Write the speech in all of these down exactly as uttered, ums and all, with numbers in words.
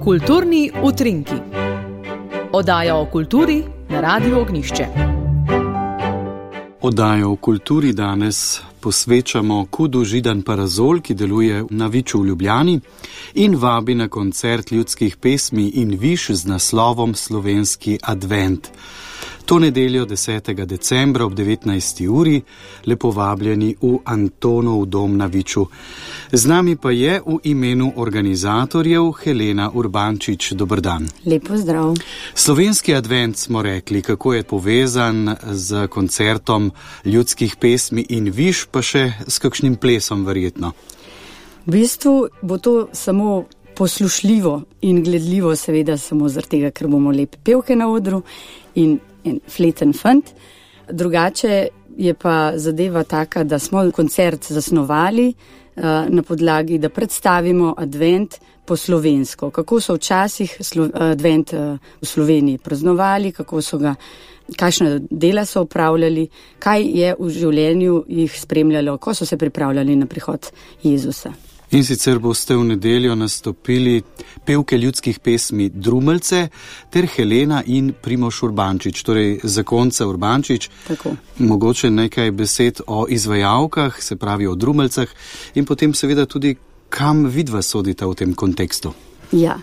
Kulturni utrinki. Oddaja o kulturi na Radiu Ognjišče. Oddajo o kulturi danes posvečamo Kudu Židan Parazol, ki deluje na Viču v Ljubljani in vabi na koncert ljudskih pesmi in viš z naslovom Slovenski advent. To nedeljo desetega decembra ob devetnajsti uri, lepo vabljeni v Antonov dom na Viču. Z nami pa je v imenu organizatorjev Helena Urbančič. Dober dan. Lepo zdrav. Slovenski advent smo rekli, kako je povezan z koncertom ljudskih pesmi in viš, pa še s kakšnim plesom verjetno. V bistvu bo to samo poslušljivo in gledljivo, seveda samo zaradi tega, ker bomo lepe pevke na odru in en fleten fant. Drugače je pa zadeva taka, da smo koncert zasnovali uh, na podlagi, da predstavimo advent po slovensko. Kako so včasih slo- advent uh, v Sloveniji praznovali, kako so ga, kakšna dela so upravljali, kaj je v življenju jih spremljalo, ko so se pripravljali na prihod Jezusa. In sicer boste v nedeljo nastopili pevke ljudskih pesmi Drumeljce ter Helena in Primož Urbančič, torej zakonca Urbančič. Tako. Mogoče nekaj besed o izvajalkah, se pravi o Drumeljcah in potem seveda tudi, kam vidva sodita v tem kontekstu. Ja,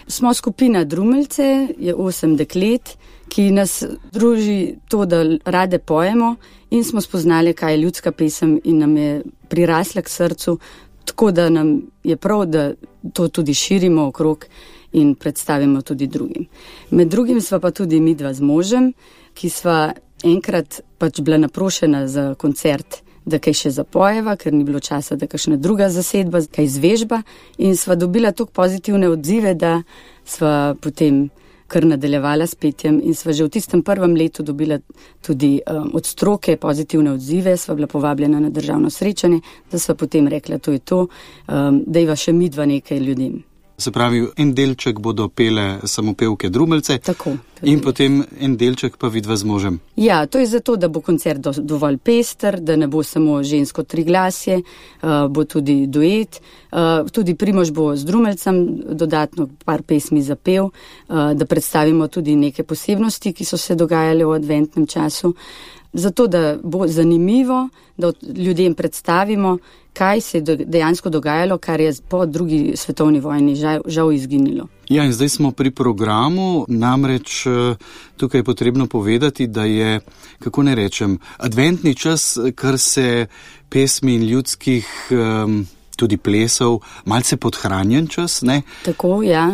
smo skupina Drumeljce, je osem deklet, ki nas druži to, da rade pojemo in smo spoznali, kaj je ljudska pesem in nam je prirasla k srcu. Tako da nam je prav, da to tudi širimo okrog in predstavimo tudi drugim. Med drugim sva pa tudi midva z možem, ki sva enkrat pač bila naprošena za koncert, da kaj še zapojeva, ker ni bilo časa, da kakšna druga zasedba, kaj zvežba in sva dobila toliko pozitivne odzive, da sva potem kar nadaljevala s petjem in sva že v tistem prvem letu dobila tudi um, od stroke pozitivne odzive, sva bila povabljena na državno srečanje, da sva potem rekla, to je to, um, da iva še midva nekaj ljudem. Se pravi, en delček bodo pele samo pevke Drumeljce. Tako. In potem en delček pa vidva z možem. Ja, to je zato, da bo koncert do, dovolj pester, da ne bo samo žensko triglasje, uh, bo tudi duet, uh, tudi Primož bo z Drumeljcem dodatno par pesmi zapel, uh, da predstavimo tudi neke posebnosti, ki so se dogajale v adventnem času. Zato, da bo zanimivo, da ljudem predstavimo, kaj se je dejansko dogajalo, kar je po drugi svetovni vojni žal, žal izginilo. Ja, in zdaj smo pri programu, namreč tukaj je potrebno povedati, da je, kako ne rečem, adventni čas, kar se pesmi in ljudskih um, tudi plesov, malce podhranjen čas, ne? Tako, ja.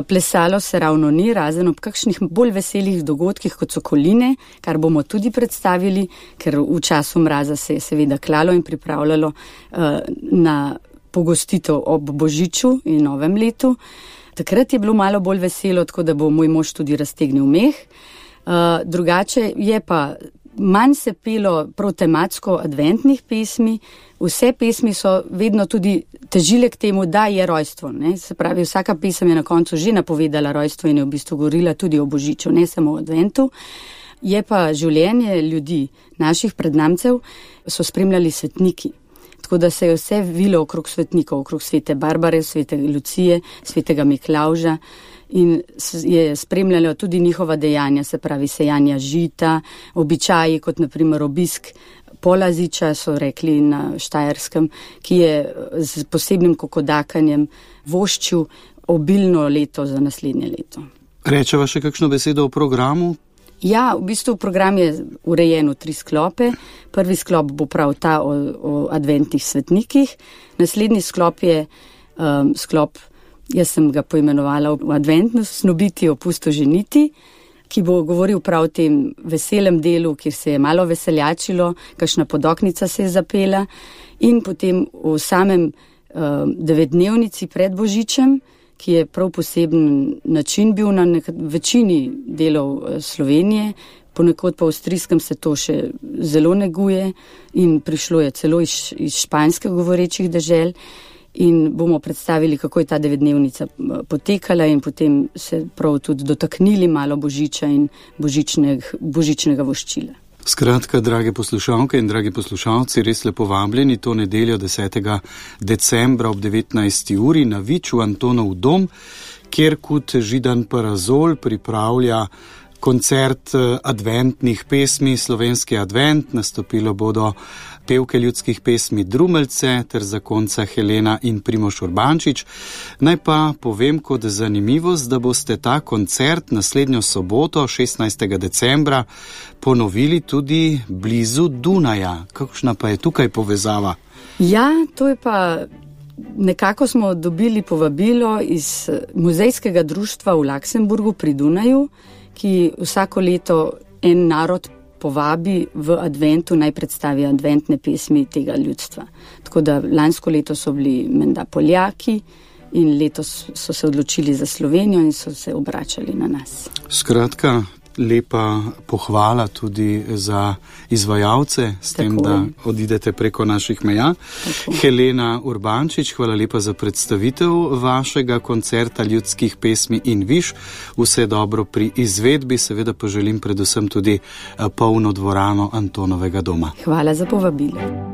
Plesalo se ravno ni, razen ob kakšnih bolj veselih dogodkih, kot so koline, kar bomo tudi predstavili, ker v času mraza se je seveda klalo in pripravljalo uh, na pogostitev ob Božiču in Novem letu. Takrat je bilo malo bolj veselo, tako da bo moj mož tudi raztegnil meh. Uh, drugače je pa manj se pelo prav tematsko adventnih pesmi, vse pesmi so vedno tudi težile k temu, da je rojstvo. Ne? Se pravi, vsaka pesem je na koncu že napovedala rojstvo in je v bistvu govorila tudi o Božiču, ne samo o adventu. Je pa življenje ljudi, naših prednamcev, so spremljali svetniki. Tako da se je vse vilo okrog svetnikov, okrog svete Barbare, svete Lucije, svetega Miklavža in je spremljalo tudi njihova dejanja, se pravi sejanja žita, običaji kot naprimer obisk Polaziča, so rekli na Štajerskem, ki je z posebnim kokodakanjem voščil obilno leto za naslednje leto. Rečeva še kakšno besedo o programu? Ja, v bistvu program je urejen v tri sklope. Prvi sklop bo prav ta o, o adventnih svetnikih. Naslednji sklop je um, sklop, jaz sem ga poimenovala v adventno snobiti, opusto ženiti, ki bo govoril prav o tem veselem delu, kjer se je malo veseljačilo, kakšna podoknica se je zapela in potem v samem um, devetdnevnici pred Božičem, ki je prav poseben način bil na nek- večini delov Slovenije, ponekod pa v avstrijskem se to še zelo neguje in prišlo je celo iz, iz španske govorečih dežel in bomo predstavili, kako je ta devetdnevnica potekala in potem se prav tudi dotaknili malo Božiča in božičneg, božičnega voščila. Skratka, drage poslušalke in dragi poslušalci, res lepo vabljeni to nedeljo desetega decembra ob devetnajsti uri na Viču Antonov dom, kjer Kud Židan Parazol pripravlja koncert adventnih pesmi, slovenski advent. Nastopilo bodo pevke ljudskih pesmi Drumeljce ter zakonca Helena in Primož Urbančič. Naj pa povem kot zanimivost, da boste ta koncert naslednjo soboto, šestnajstega decembra, ponovili tudi blizu Dunaja. Kakšna pa je tukaj povezava? Ja, to je pa... Nekako smo dobili povabilo iz muzejskega društva v Luksemburgu pri Dunaju, ki vsako leto en narod povabi v adventu, naj predstavi adventne pesmi tega ljudstva. Tako da lansko leto so bili menda Poljaki in letos so se odločili za Slovenijo in so se obračali na nas. Skratka, lepa pohvala tudi za izvajalce, s Tako. tem, da odidete preko naših meja. Tako. Helena Urbančič, hvala lepa za predstavitev vašega koncerta ljudskih pesmi in viš. Vse dobro pri izvedbi, seveda pa želim predvsem tudi polno dvorano Antonovega doma. Hvala za povabilo.